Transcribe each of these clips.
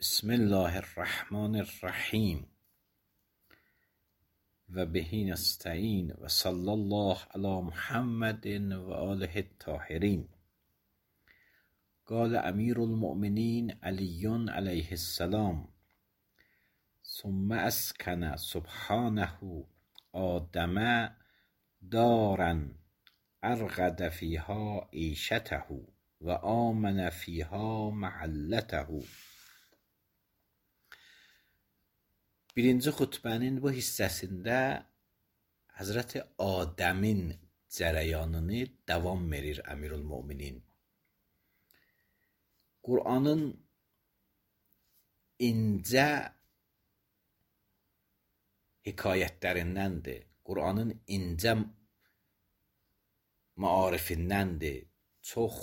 بسم الله الرحمن الرحیم و به نستعین و صلی الله علی محمد و آله الطاهرین. قال امیر المؤمنین علی علیه السلام ثم اسکن سبحانه آدم دارا ارغد فیها عیشته و آمن فیها محلته. Birinci xutbənin bu hissəsində Həzrəti Adəmin cərəyanını davam verir Əmirül Möminin. Qur'anın incə hekayətlərindəndir. Qur'anın incə maarifindəndir. Çox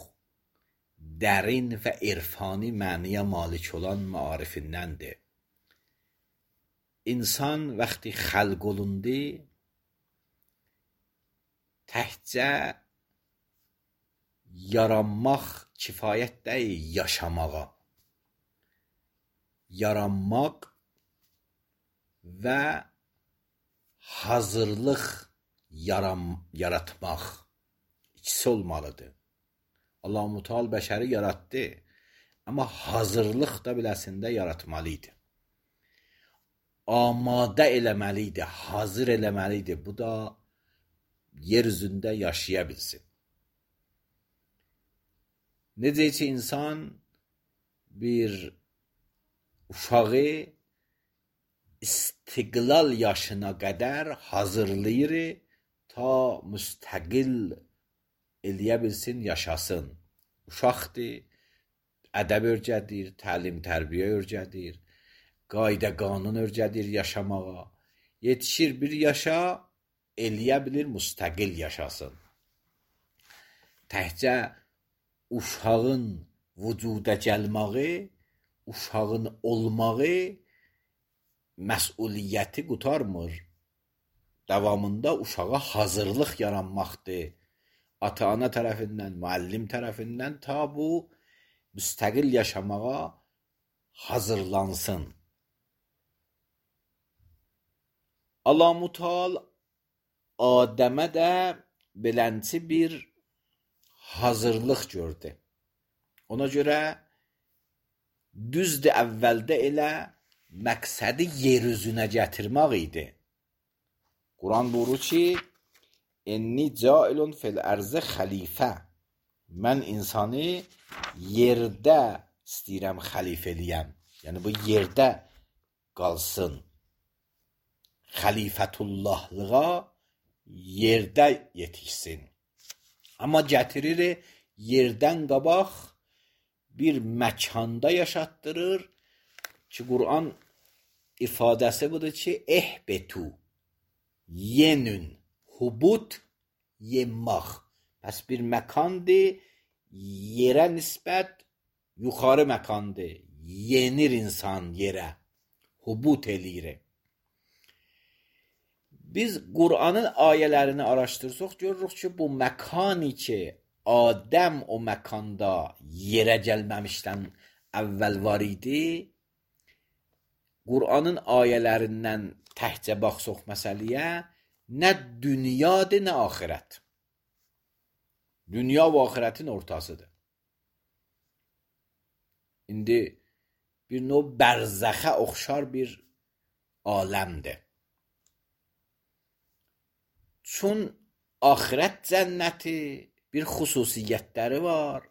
dərin və irfani məniyə malik olan maarifindəndir. İnsan vəqti xəlq olundu, təkcə yaranmaq kifayət deyil yaşamağa. Yaranmaq və hazırlıq yaratmaq ikisi olmalıdır. Allah-u Teala bəşəri yaratdı, amma hazırlıq da biləsində yaratmalıydı. Amadə eləməliydi, hazır eləməliydi. Bu da yer üzündə yaşaya bilsin. Necə ki insan bir uşağı istiqlal yaşına qədər hazırlayır ta müstəqil eləyə bilsin, yaşasın. Uşaqdır, ədəb öyrədir, təlim tərbiyə öyrədir, qayda qanun öyrədir yaşamağa. Yetişir bir yaşa, eləyə bilir müstəqil yaşasın. Təkcə uşağın vücuda gəlməyi, uşağın olmağı məsuliyyəti qurtarmır. Davamında uşağa hazırlıq yaranmaqdır. Ata-ana tərəfindən, müəllim tərəfindən ta bu müstəqil yaşamağa hazırlansın. Allah-u Teala Adəmə də belənçi bir hazırlıq gördü. Ona görə düzdür, əvvəldə elə məqsədi yer üzünə gətirmək idi. Quran buyurur ki, "Enni cailun fil ərzə xəlifə." Mən insanı yerdə istəyirəm xəlifə eləyəm. Yəni bu yerdə qalsın. Xəlifətullahlığa yerdə yetişsin. Amma gətirir yerdən qabaq bir məkanda yaşatdırır ki, Quran ifadəsi budur ki, ehbetu, yenün, hubut, yemmaq. Pəs bir məkandır, yerə nisbət yuxarı məkandır. Yenir insan yerə, hubut eləyir. Biz Qur'anın ayələrini araşdırsaq, görürük ki, bu məkani ki, Adəm o məkanda yerə gəlməmişdən əvvəl var idi, Qur'anın ayələrindən təhcə baxsaq məsələyə, nə dünyadır, nə axirət. Dünya və axirətin ortasıdır. İndi bir növ bərzəxə oxşar bir aləmdir. Çün axirət cənnəti bir xüsusiyyətləri var.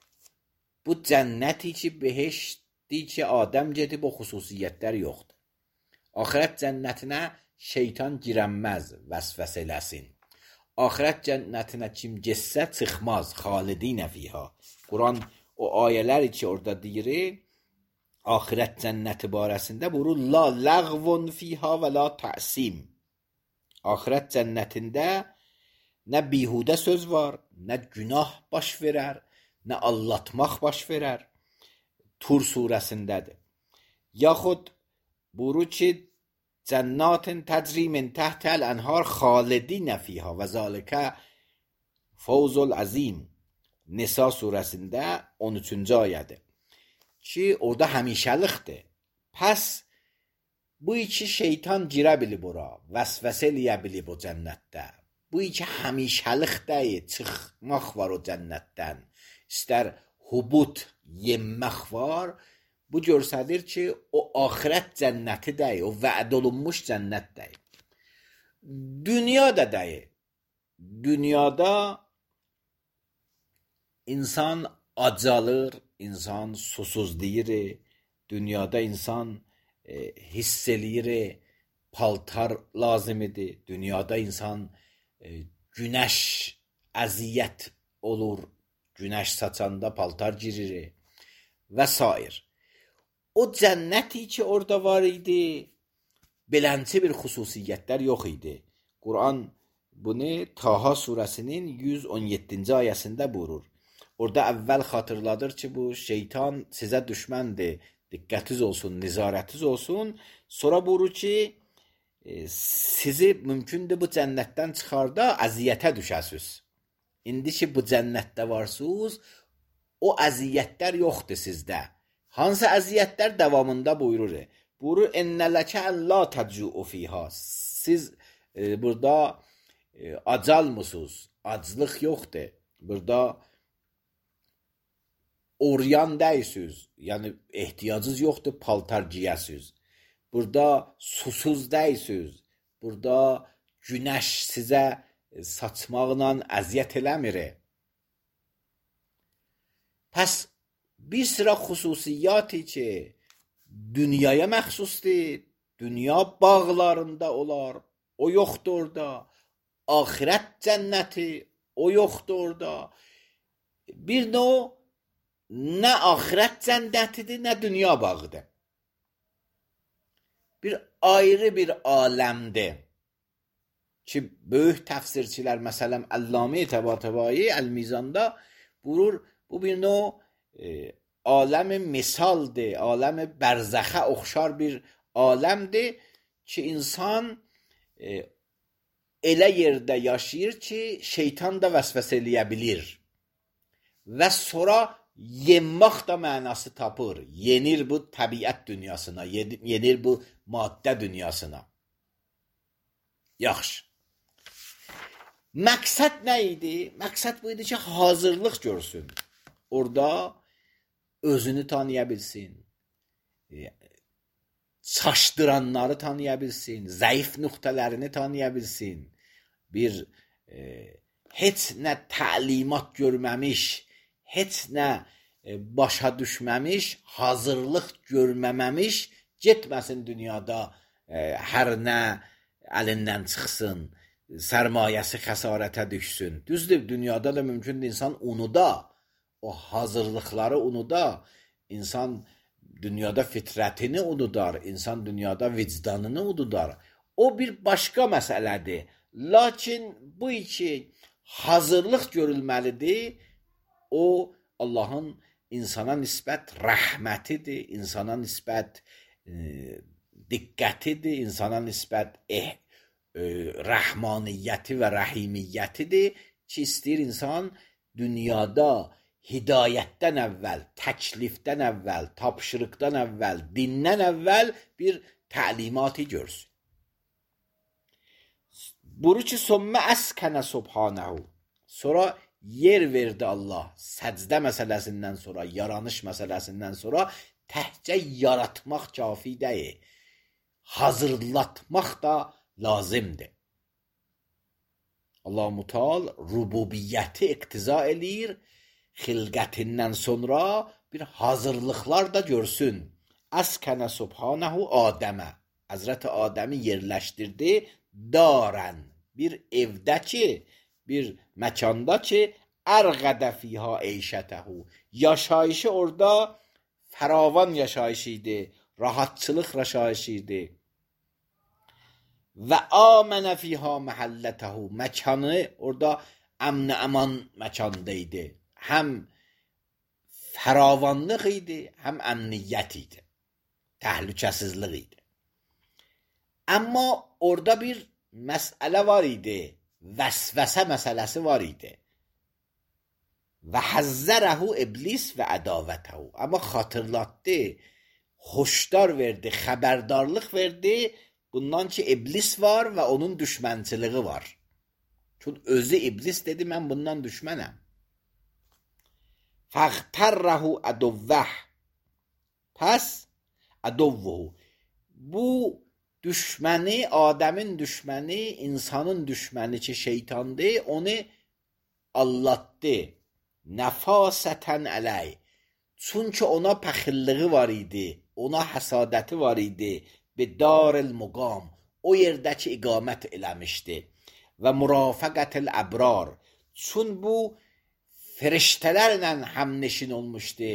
Bu cənnəti ki, behiştdir ki, Adəm gedib o xüsusiyyətlər yoxdur. Axirət cənnətinə şeytan girənməz, vəsvəsə eləsin. Axirət cənnətinə kim getsə çıxmaz, xalidinə fiha. Quran o ayələri ki, orada deyir, axirət cənnəti barəsində buyurur, la ləğvun fiha və la təsim. Axirət cənnətində nə bihudə söz var, nə günah baş verər, nə allatmaq baş verər. Tur surəsindədir. Yaxud buyurur ki, cənnatın təcri min təhtəl ənhar xalidinə fiha və zalikə fawzul azim. Nisa surəsində 13-cü ayədir. Ki orada həmişəlikdir. Pəs bu iki şeytan girə bilib ora, vəsvəsə eləyə bilib o cənnətdə. Bu iki həmişəlik deyil, çıxmaq var o cənnətdən. İstər hubut, yemək var. Bu göstərir ki, o axirət cənnəti deyil, o vəd olunmuş cənnət deyil. Dünya da deyil. Dünyada insan acalır, insan susuzlayır, dünyada insan hiss eləyir, paltar lazım idi. Dünyada insan günəş əziyyət olur, günəş saçanda paltar girir və s. O cənnəti ki orada var idi, belənçi bir xüsusiyyətlər yox idi. Quran bunu Taha surəsinin 117-ci ayəsində buyurur. Orada əvvəl xatırladır ki, bu şeytan sizə düşməndir, diqqətiniz olsun, nizarətiniz olsun. Sonra buyurur ki, sizi mümkündür bu cənnətdən çıxarda əziyyətə düşəsiniz. İndi ki bu cənnətdə varsınız, o əziyyətlər yoxdur sizdə. Hansı əziyyətlər davamında buyurur? Buyurur, ennələkə əllə təcü'u fiyhə. Siz burada acalmısınız, aclıq yoxdur. Burada oryan deyilsiniz, yəni ehtiyacınız yoxdur, paltar giyəsiniz. Burada susuz deyilsiniz, burada günəş sizə saçmaqla əziyyət eləmir. Pəs bir sıra xüsusiyyəti ki, dünyaya məxsusdur, dünya bağlarında olar, o yoxdur orada. Axirət cənnəti, o yoxdur orada. Bir növ nə axirət cənnətidir, nə dünya bağıdır. Bir ayrı bir aləmdir ki, böyük təfsirçilər, məsələn, Əllamə Təbatəbai Əl-Mizanda buyurur, bu bir növ aləmi misaldır, aləmi bərzəxə oxşar bir aləmdir ki, insan elə yerdə yaşayır ki, şeytan da vəsvəsə eləyə bilir. Və sonra yenmək də mənası tapır. Yenir bu təbiət dünyasına, yenir bu maddə dünyasına. Yaxşı. Məqsəd nə idi? Məqsəd bu idi ki, hazırlıq görsün. Orada özünü tanıya bilsin. Çaşdıranları tanıya bilsin. Zəif nöqtələrini tanıya bilsin. Bir heç nə təlimat görməmiş, heç nə başa düşməmiş, hazırlıq görməməmiş getməsin dünyada, hər nə əlindən çıxsın, sərmayəsi xəsarətə düşsün. Düzdür, dünyada da mümkündür insan unuda, o hazırlıqları unuda, insan dünyada fitrətini unudar, insan dünyada vicdanını unudar. O bir başqa məsələdir. Lakin bu iki hazırlıq görülməlidir. O Allahın insana nisbət rəhmətidir, insana nisbət diqqətidir, insana nisbət rəhmaniyyəti və rəhimiyyətidir ki, istəyir insan dünyada hidayətdən əvvəl, təklifdən əvvəl, tapşırıqdan əvvəl, dindən əvvəl bir təlimatı görsün. Buyurur ki, sommə əskənə subhanəhu. Sonra yer verdi Allah, səcdə məsələsindən sonra, yaranış məsələsindən sonra təhcə yaratmaq kafi deyil, hazırlatmaq da lazımdır. Allah-u Teala rububiyyəti iqtiza eləyir, xilqətindən sonra bir hazırlıqlar da görsün. Əskənə subhanəhu Adəmə. Həzrəti Adəmi yerləşdirdi darən. Bir evdə ki, bir məkanda ki, ərqədə fiyha eyşətəhu. Yaşayışı orada fəravan yaşayışı idi, rahatçılıq yaşayışı idi. Və amənə fiyha məhəllətəhu. Məkanı orada əmn-i əman məkanda idi. Həm fəravanlıq idi, həm əmniyyət idi. Təhlükəsizlik idi. Amma orada bir məsələ var idi. Vəsvəsə məsələsi var idi. Və həzzərəhu iblis və ədavətəhu. Amma xatırlatdı, hoşdar verdi, xəbərdarlıq verdi bundan ki iblis var və onun düşmənçiliyi var. Çünki özü iblis dedi mən bundan düşmənəm. فَاغْتَرَّهُ عَدُوَّهُ Pəs عَدُوَّهُ Bu düşməni, Adəmin düşməni, insanın düşməni ki şeytandır, onu allatdı. Nəfasətən ələy. Çünki ona pəxilliği var idi, ona həsadəti var idi. Bidaril muqam. O yerdəki iqamət eləmişdi. Və mürafəqətil əbrar. Çün bu feriştələrlə həmneşin olmuşdu.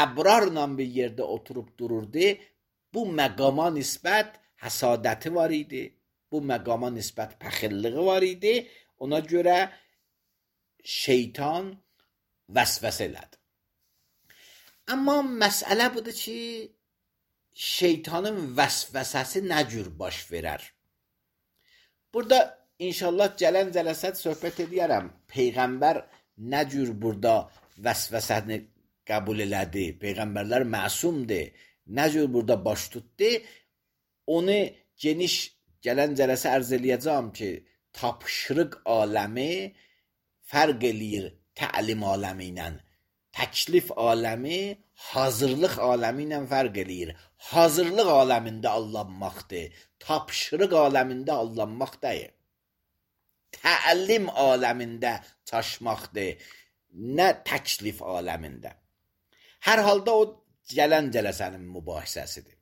Əbrarla bir yerdə oturub dururdu. Bu məqama nisbət həsadəti var idi. Bu məqama nisbət pəxilliği var idi. Ona görə şeytan vəsvəsə elədi. Amma məsələ budur ki, şeytanın vəsvəsəsi nə cür baş verər? Burada inşallah gələn cələsət söhbət edərəm. Peyğəmbər nə cür burada vəsvəsəni qəbul elədi? Peyğəmbərlər məsumdur. Nə cür burada baş tutdu? Onu geniş gələn cələsə ərz eləyəcəm ki, tapşırıq aləmi fərq eləyir təlim aləmi ilə. Təklif aləmi hazırlıq aləmi ilə fərq eləyir. Hazırlıq aləmində allanmaqdır. Tapşırıq aləmində allanmaq deyil. Təlim aləmində çaşmaqdır. Nə təklif aləmində. Hər halda o gələn cələsənin mübahisəsidir.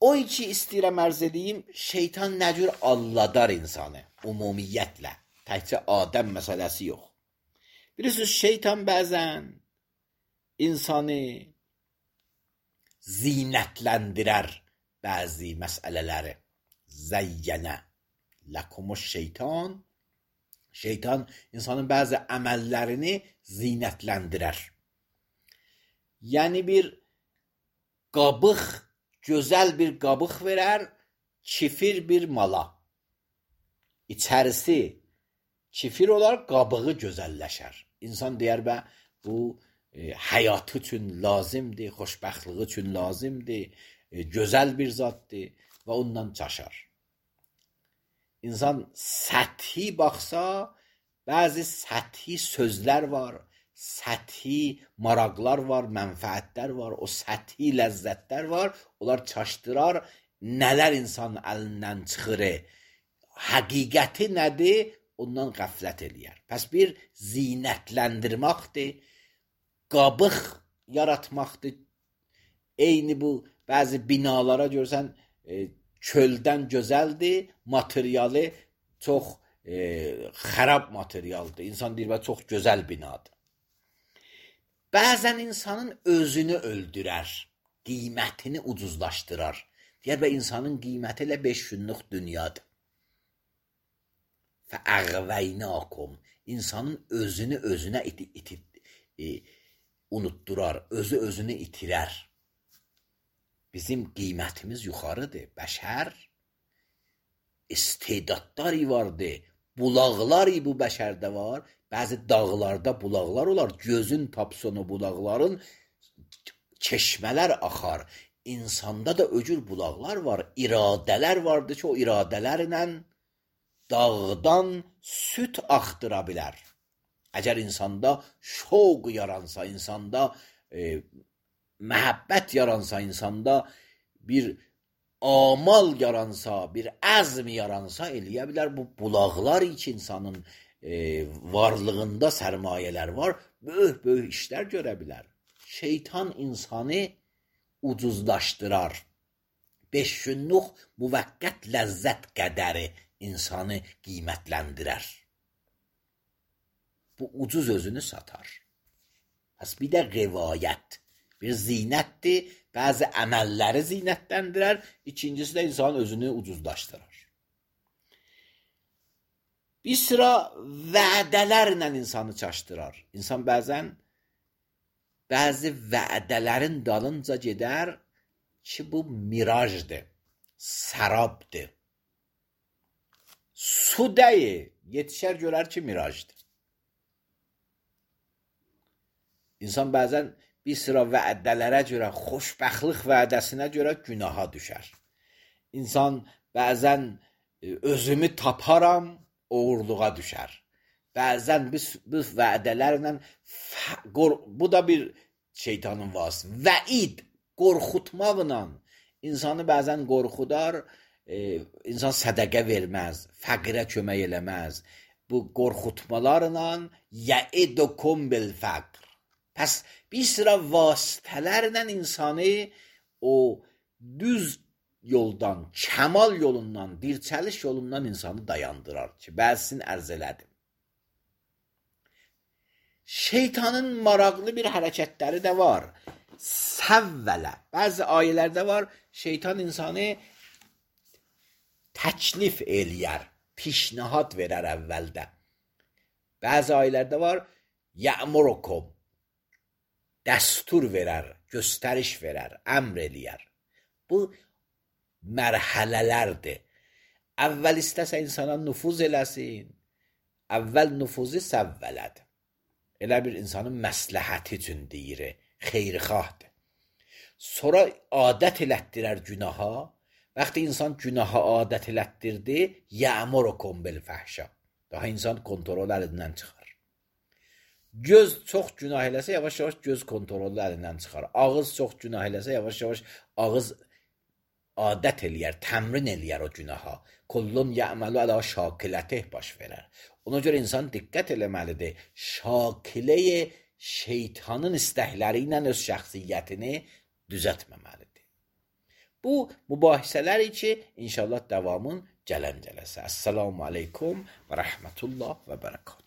O ki istəyirəm ərz edeyim, şeytan nə cür alladar insanı ümumiyyətlə. Təkcə Adəm məsələsi yox. Bilirsiniz, şeytan bəzən insanı zinətləndirər bəzi məsələləri. Zəyyənə ləkumus şeytan. Şeytan insanın bəzi əməllərini zinətləndirər. Yəni bir qabıq, gözəl bir qabıq verər, kifir bir mala. İçərisi kifir olar, qabığı gözəlləşər. İnsan deyər bə, bu həyatı üçün lazımdır, xoşbəxtliyi üçün lazımdır, gözəl bir zaddır və ondan çaşar. İnsan səthi baxsa, bəzi səthi sözlər var, səthi maraqlar var, mənfəətlər var, o səthi ləzzətlər var, onlar çaşdırar, nələr insanın əlindən çıxır, həqiqəti nədir, ondan qəflət eləyər. Pəs bir zinətləndirməkdir, qabıq yaratmaqdır. Eyni bu, bəzi binalara görsən, çöldən gözəldir, materialı çox xərab materialdır. İnsan deyir, çox gözəl binadır. Bəzən insanın özünü öldürər, qiymətini ucuzlaşdırar. Deyər, insanın qiyməti elə 5 günlük dünyadır. Fəəğvəynəkum. İnsanın özünü özünə unutdurar, özü özünü itirər. Bizim qiymətimiz yuxarıdır. Bəşər istedadları vardır. Bulaqlar bu bəşərdə var. Bəzi dağlarda bulaqlar olar. Gözün tapsın o bulaqların çeşmələr axar. İnsanda da öcür bulaqlar var. İradələr vardır ki, o iradələrlə dağdan süt axtıra bilər. Əgər insanda şoq yaransa, insanda məhəbbət yaransa, insanda bir amal yaransa, bir əzm yaransa eləyə bilər. Bu bulaqlar ki, insanın varlığında sərmayələr var, böyük işlər görə bilər. Şeytan insanı ucuzlaşdırar. 5 günlük müvəqqət ləzzət qədəri insanı qiymətləndirər. Bu ucuz özünü satar. Pəs bir də rivayət. Bir zinətdir, bəzi əməlləri zinətləndirər, ikincisi də insanın özünü ucuzlaşdırır. Bir sıra vədələrlə insanı çaşdırar. İnsan bəzən bəzi vədələrin dalınca gedər ki, bu mirajdır, sərabdır. Su deyil, yetişər görər ki, mirajdır. İnsan bəzən bir sıra vədələrə görə, xoşbəxtlik vədəsinə görə günaha düşər. İnsan bəzən özümü taparam, uğurluğa düşər. Bəzən bu vədələrlə, bu da bir şeytanın vasıtası. Vəid, qorxutmaqla insanı bəzən qorxudar, insan sədəqə verməz, fəqirə kömək eləməz. Bu qorxutmalarla yəidukum bil fəqr. Pəs bir sıra vasitələrlə insanı o düz yoldan, kəmal yolundan, dirçəliş yolundan insanı dayandırar ki, bəzisini ərz elədim. Şeytanın maraqlı bir hərəkətləri də var. Səvvələ. Bəzi ayələrdə var, şeytan insanı təklif eləyər, pişnihad verər əvvəldə. Bəzi ayələrdə var, yə'murukum, dəstur verər, göstəriş verər, əmr eləyər. Bu mərhələlərdir. Əvvəl istəsə insana nüfuz eləsin, əvvəl nüfuzu səvvələdir. Elə bir insanın məsləhəti üçün deyir, xeyrixahdır. Sonra adət elətdirər günaha. Vaxtı insan günaha adət elətdirdi, yə'murukum bil fəhşa. Daha insan kontrol əlindən çıxar. Göz çox günah eləsə, yavaş-yavaş göz kontrolü əlindən çıxar. Ağız çox günah eləsə, yavaş-yavaş ağız adət eləyər, təmrin eləyər o günaha. Kullun ya'malu ala şakilətih baş verər. Ona görə insan diqqət eləməlidir. Şakiləyə şeytanın istəkləri ilə öz şəxsiyyətini düzəltməməlidir. Bu mübahisələr ki, inşallah davamın gələn cələsə. Əssalamu aleykum və rəhmətullah və bərəkət.